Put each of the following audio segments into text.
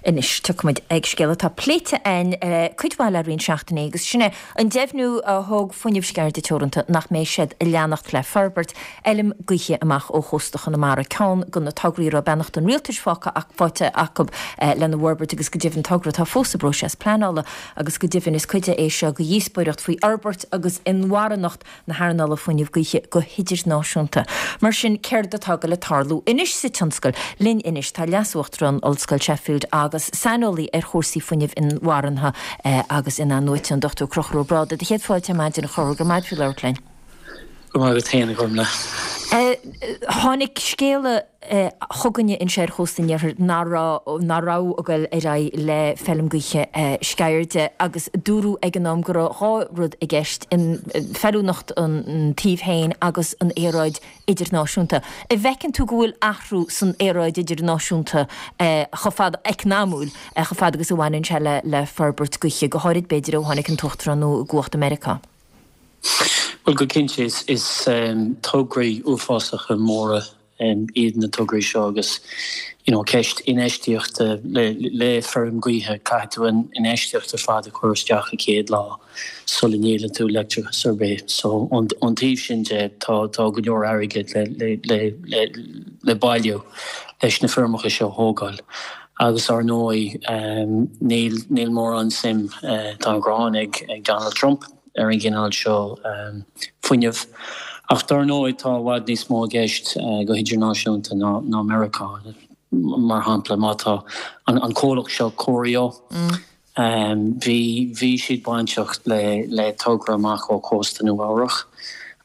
Anois, tiocfaimid ag scéal atá pléite againn cuid mhaith le roinnt seachtainí agus sin é an deimhniú a thug Fuinneamh Sceirde Teoranta nach mbeidh siad ag leanacht le forbairt fheilm gaoithe amach ó chósta Chonamara, ceann de na tograí a raibh beannacht an rialtais faighte acu lena bhforbairt agus go deimhin togra atá fós sa bpróiseas pleanála agus go deimhin is cuid é seo de dhíospóireacht faoi fhorbairt agus inmharthanacht na hearnála fuinnimh gaoithe go hidirnáisiúnta. Mar sin, céard atá ag goil ag tarlú anois sa tionscal? Linn anois tá Leas-Uachtarán Ollscoil Sheffield agus saineolaí ar chúrsaí fuinnimh inmharthana agus in-athnuaite, an Dr Conchúr Ó Brádaigh. Do chéad fáilte ar maidin, a Chonchúir, go raibh maith agat faoi labhairt linn. Go raibh maith agat féin, a Ghormlaith. Tháinig scéala. chugainne anseo ar chósta an iarthair nach raibh nach raibh ag goil ar aghaidh le feilm gaoithe Sceirde agus dúradh ag an am go raibh dhá rud i gceist, an feiliúnacht an tsuímh féin agus an aeráid idirnáisiúnta. An bhfeiceann tú go bhfuil athrú san aeráid idirnáisiúnta chomh fada, eacnamúil, chomh fada agus a bhaineann sé le le forbairt gaoithe, go háirid b'fhéidir ó tháinig an tUachtarán nua i gcumhacht i Meiriceá? Bhuel, go cinnte, is tograí uafásacha móra iad na tograí seo agus you know ceist infheistíochta le feirm gaoithe, caithfidh tú an infheistíocht ar fad a chur isteach an chéad lá sula ndíolann tú leictreachas ar bith. So ón taobh sin de tá tá go leor airgid le le le le bailiú leis na feirmeacha seo a thógáil. Agus ar ndóigh níl níl mórán suim, tá an ghráin ag ag Donald Trump ar an gcineál seo fuinnimh. Ach dar ndóigh tá i bhfad níos mó i gceist go hidirnáisiúnta ná ná Meiriceá. Mar shampla má tá an an comhlacht seo Corio, Bhí, bhí siad bainteach le, le togra amach ó chósta Nua Eabhrach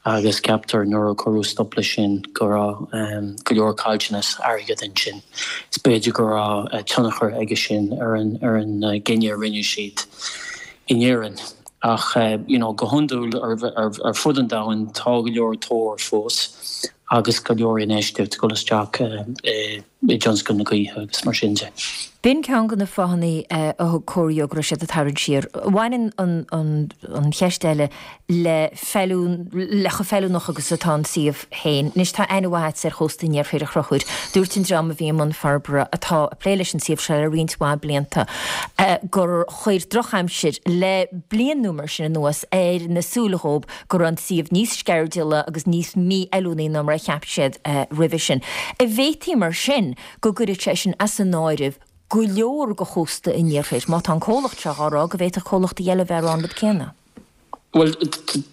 agus ceaptar nuair a cuireadh stop leis sin go raibh go leor caillteanas airgid ansin. Is b'fhéidir go raibh tionchar aige sin ar an, ar an gcinneadh a rinne siad in Éirinn. Ach you know go hiondúil ar, ar, ar fud an domhain tá go leor tóir fós agus go leor infheistíocht ag dul isteach i, i dtionscal na gaoithe agus mar sin de. B'in ceann de na fáthanna a thug Corio go raibh siad ag tarraingt siar. Baineann an cheist eile le feiliún, le chomh feiliúnach agus atá an suíomh féin. Anois tá aithne mhaith agat ar chósta an iarthair, a Chonchúir. Dúirt an dream a bhí i mbun forbartha, atá ag plé leis an suíomh seo le roinnt mhaith blianta, gur chuir drochaimsir le bliain nó mar sin anuas ar na súile dhóibh go raibh an suíomh níos sceirdiúla agus níos mífheiliúnaí ná mar a cheap siad roimhe sin. An bhféadfaí mar sin go gcuirfeadh sé sin as an áireamh go leor de chósta an iarthair, má tá an comhlacht seo á rá go bhféadfadh comhlachtaí eile a bheith ag rá an rud céanna? Bhuel,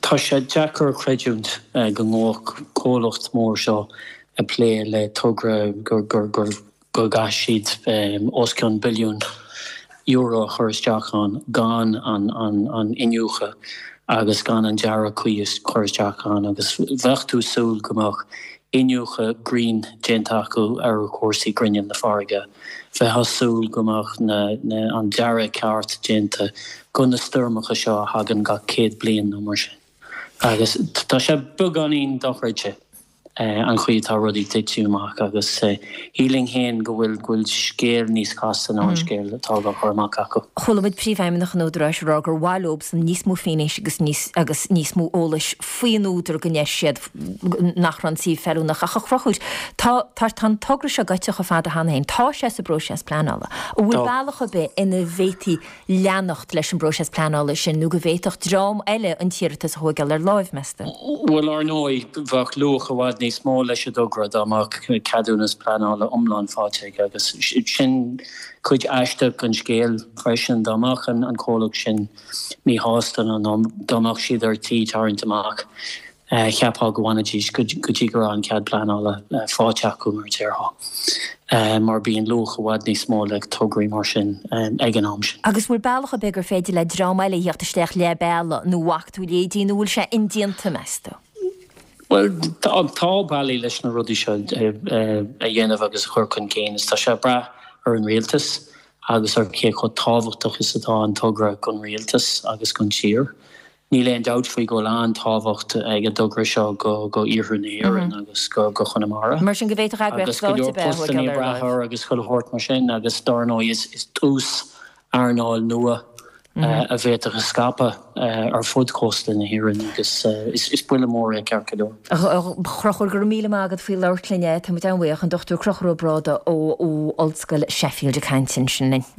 tá sé deacair a chreidiúint go ngabhfadh comhlacht mór seo ag plé le togra gur go gcaithfidh siad os cionn billiún euro a chur isteach ann gan an iniúchadh agus gan an dearadh cuí a chur isteach ann agus bheadh tú ag súil go mbeadh iniúchadh grinn déanta acu ar chúrsaí grinneall na farraige. Bheifeá ag súil go mbeadh an dearadh ceart déanta go na stoirmeacha seo a thagann gach 100 bliain nó mar sin. Agus tá sé beagáinín dochreidte. an chaoi atá rudaí ag titim amach agus shílfinn féin go bhfuil go bhfuil scéal níos casta ná an scéal atá á chur amach acu. Chuala muid Príomhfheidhmeannach an Údaráis ag rá gur mhaith leobsan níos mó faisnéise agus níos agus níos mó eolais faoin údar go ndeir siad nach raibh an suíomh feiliúnach. Ach a Chonchúir, tá tá tá an togra seo gaibhte chomh fada cheana féin. Tá sé sa bpróiseas pleanála. An bhfuil bealach ar bith ina bhféadfaí leanacht leis an bpróiseas pleanála sin nó go bhféadfadh dream eile an t-iarratas a thóigeáil ar láimh, meas tú? Bhuel, ar ndóigh, bheadh luach i bhfad níos mó leis an dtogra dá mbeadh ceadúnas pleanála iomlán faighte aige agus sin cuid aisteach den scéal freisin. Dá mbeadh an comhlacht sin míshásta nó dá mbeadh siad ar tí tarraingt amach, Cheapfá go bhfanfaidís go dtí go raibh an cead pleanála faighte acu, mar a déarfá, mar bíonn luach i bhfad níos mó le tograí mar sin ag an am sin. Agus bhfuil bealach ar bith gur féidir le dream eile a theacht isteach leath bealaigh nó bhfaca tú leithéidí nó bhfuil sé indéanta, meas tú? Bhuel, tá bealaí leis na rudaí seo a dhéanamh agus a chur chun cinn is tá sé ag brath ar an rialtas agus ar cé chomh tábhachtach is atá an togra don rialtas agus don tír. Níl aon dabht faoi go bhfuil an-tábhacht ag an dtogra seo go iarthar na hÉireann agus go Chonamara. Mar sin go bhféadfadh eagraíocht stáit ar bith a thóigeáil ar láimh. Agus agus chuile shórt mar sin agus dar ndóigh is tús earnáil nua a bhféadfadh a scaipeadh ar fud chósta na hÉireann agus is buille mór é ceart go leor. A Chonchúir, go raibh míle maith agat faoi labhairt linn. Tá muid an-bhuíoch. An Dr Conchúr Ó Brádaigh ó Ollscoil Sheffield ag caint ansin linn.